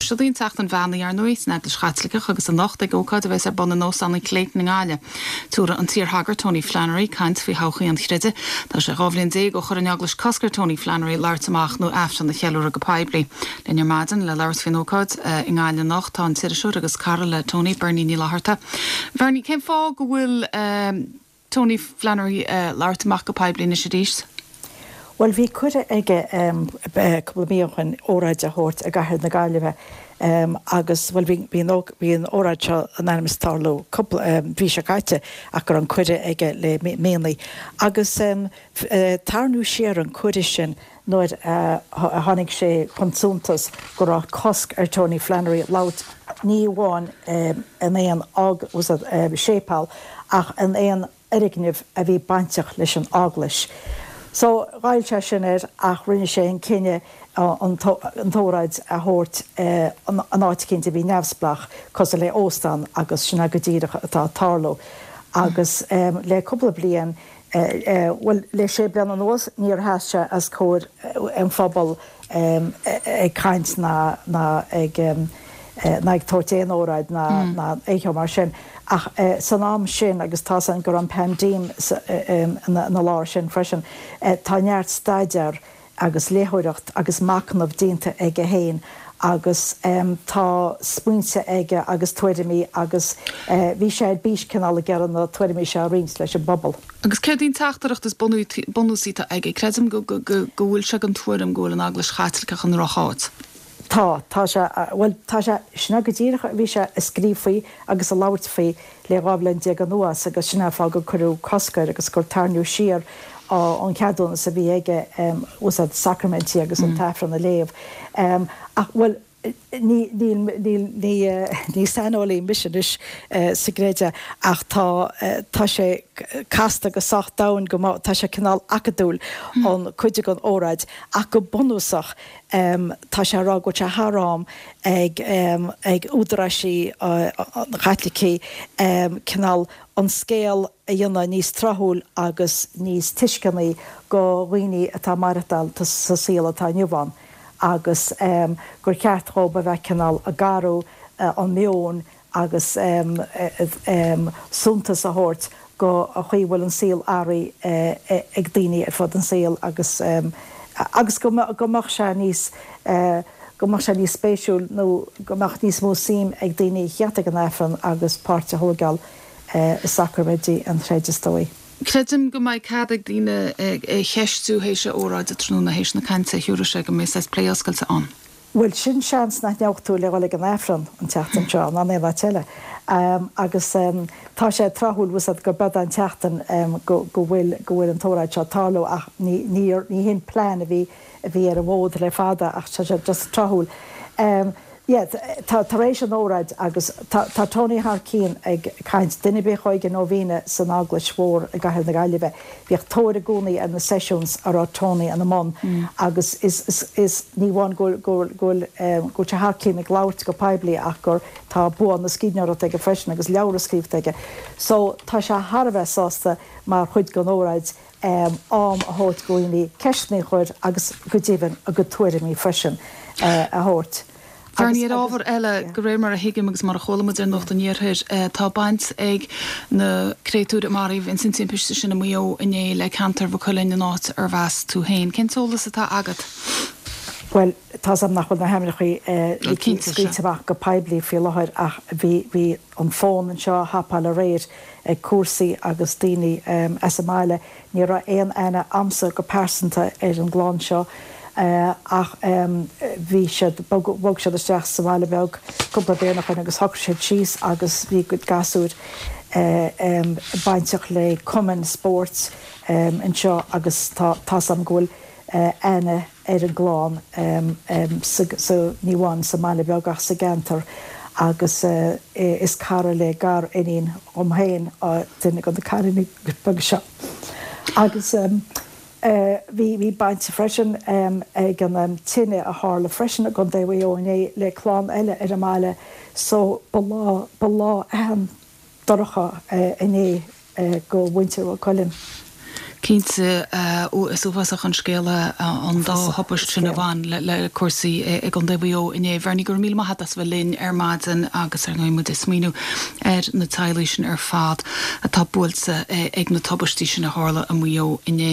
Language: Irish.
Siod í an tSeachtain Bheannaithe, ar ndóigh, san Eaglais Chaitliceach agus anocht ag ócáid a bheas ar bun in Óstán an Clayton i nGaillimh. Tabharfaidh an t-iarshagart Tony Flannery caint faoi thodhchaí an chreidimh. Tá sé 12 bhliain ó chuir an Eaglais cosc ar Tony Flannery labhairt amach nó Aifreann a cheiliúradh go poiblí. Linn ar maidin le labhairt faoin ócáid i nGaillimh anocht tá an t-iriseoir agus cara le Tony, Bernie Ní Fhlatharta. Bernie, cén fáth go bhfuil Tony Flannery labhairt amach go poiblí anois arís? Bhuel, bhí cuireadh aige cúpla mí ó shin óráid a thabhairt i gcathair na Gaillimhe agus, bhuel, bhí an bhí an óráid seo in ainm is tarlú cúpla mhí seo caite ach go raibh an cuireadh aige le míonna. Agus tarraingíodh siar an cuireadh sin nuair a tháinig sé chun suntais go raibh cosc ar Tony Flannery labhairt ní amháin in aon séipéal ach in aon fhoirgneamh a bhí bainteach leis an Eaglais. So, ghoill sé sin air ach rinne sé an cinneadh an t-óráid a thabhairt in áit eicínt a bhí neamhspleách, cosúil le óstán agus sin é go díreach atá ag tarlú. Agus le cúpla bliain, bhuel, le sé bliana anuas, níor sheas sé os comhair an phobail ag caint ná ag ná ag tabhairt aon óráid ná aon cheo mar sin. Ach san am sin, agus tá's againn go raibh an paindéim ina lár sin freisin, tá neart staidéar agus léitheoireacht agus machnamh déanta aige féin agus tá smaointe aige agus tuairimí agus bhí sé ar bís cineál ag iarraidh na tuairimí seo a roinnt leis an bpobal. Agus céard í an teachtaireacht is bunúsaí atá aige? Creidim go bhfuil sé den tuairim go bhfuil an Eaglais Chaitliceach i ndrocháit. Tá, tá sé, bhuel, tá sé, sin é go díreach a bhí sé ag scríobh faoi agus ag labhairt faoi le 12 bhliain anuas agus sin é an fáth gur cuireadh cosc air agus gur tarraingíodh siar an ceadúnas a bhí aige úsáid sacraimintí agus an tAifreann a léamh. Ach, bhuel, ní, níl, níl, ní, ní saineolaí mise anois sa gcreideamh ach tá, tá sé casta go sách domhain go mba, tá sé cineál acadúil an cuid den óráid ach go bunúsach Tá sé ag rá go bhfuil sé thar am ag ag údaráisí Chaitlicigh cineál an scéal a dhéanamh níos tráthúil agus níos tuisceanaí go dhaoine atá ag maireachtáil sa saol atá inniu ann agus gur cheart dhóibh a bheith cineál ag athrú an meon agus suntas a thabhairt go an chaoi a bhfuil an saol athraithe ag daoine ar fud an saoil agus agus go go mbeadh sé níos go mbeadh sé níos spéisiúil nó go mbeadh níos mó suim ag daoine a theacht ag an Aifreann agus páirt a thóigeáil i sacraimintí an chreidimh is dóigh. Creidim go mbeidh cead ag daoine é cheistiú théis a óráide tráthnóna, théis na cainte a thiúrfaidh sé, go mbeidh saghas plé oscailte ann. Bhuel, sin seans nach ngeobhaidh tú le dhul ag an Aifreann an tseachtain seo, ná in aon áit eile. Agus tá sé tráthúil, bhfuil 's a'd, gur beag an tseachtain go bhfuil, go bhfuil an t-óráid seo ag tarlú ach ní, ní, ní hin plean a bhí, a bhí ar an bhfód le fada ach tá sé just tráthúil. Yeah, tá, tar éis an óráid agus tá, tá Tony thar cionn ag caint, duine ar bith a chuaigh ag an Nóibhéine san Eaglais Mhór i gCathair na Gaillimhe, Bhíodh tóir i gcónaí ar na sessions a raibh Tony ina mbun agus is, is, is, ní amháin go bhfuil, go bhfuil, go bhfuil, go bhfuil sé thar cionn ag labhairt go poiblí ach gur, tá bua na scríbhneoireachta aige freisin agus leabhra scríofa aige. So, tá sé thar a bheith sásta mar chuid den óráid am a thabhairt go dhaoine ceisteanna a chur agus go deimhin a gcuid tuairimí freisin a thabhairt. Bernie, ar ábhar eile, de réir mar a thuigim agus mar a chuala muid ar Nuacht an Iarthair, tá baint ag na créatúir a maraíodh ins an timpiste sin i Maigh Eo inné le ceantar Mhaigh Cuilinn, an áit arbh as tú féin. Cén t-eolas atá agat? Bhuel, tá's a'm nach bhfuil na hainmneacha scaoilte amach go poiblí faoi láthair ach bhí, bhí an fón anseo á thapáil aréir ag cúrsaí agus daoine as an mbaile. Ní raibh aon aithne a'msa go pearsanta ar an gclann seo ach bhí siad, bhog siad isteach sa bhaile beag cúpla bliain ó shoin agus shocraigh siad síos agus bhí a gcuid gasúir bainteach le cumainn spóirt anseo agus tá, tá's a'm go bhfuil aithne ar an gclann sa, ní amháin sa mbaile beag ach sa gceantar agus is cara le gar-iníon dhom féin duine de na cailíní beaga seo. Agus bhí, bhí baint freisin ag an tine a tharla freisin i gContae Mhaigh Eo inné le clann eile ar an mbaile so ba lá, ba lá an-dorcha inné. go mhuintir Mhaigh Cuilinn. Cinnte, is uafásach an scéal é an dá thubaist sin a bhain le cúrsaí i gContae Mhaigh Eo inné. Bhernie, go raibh míle maith agat as a bheith linn ar maidin agus ar ndóigh muid ag smaoineamh ar na teaghlaigh sin ar fad atá buailte ag na tubaistí sin a tharla i Maigh Eo inné.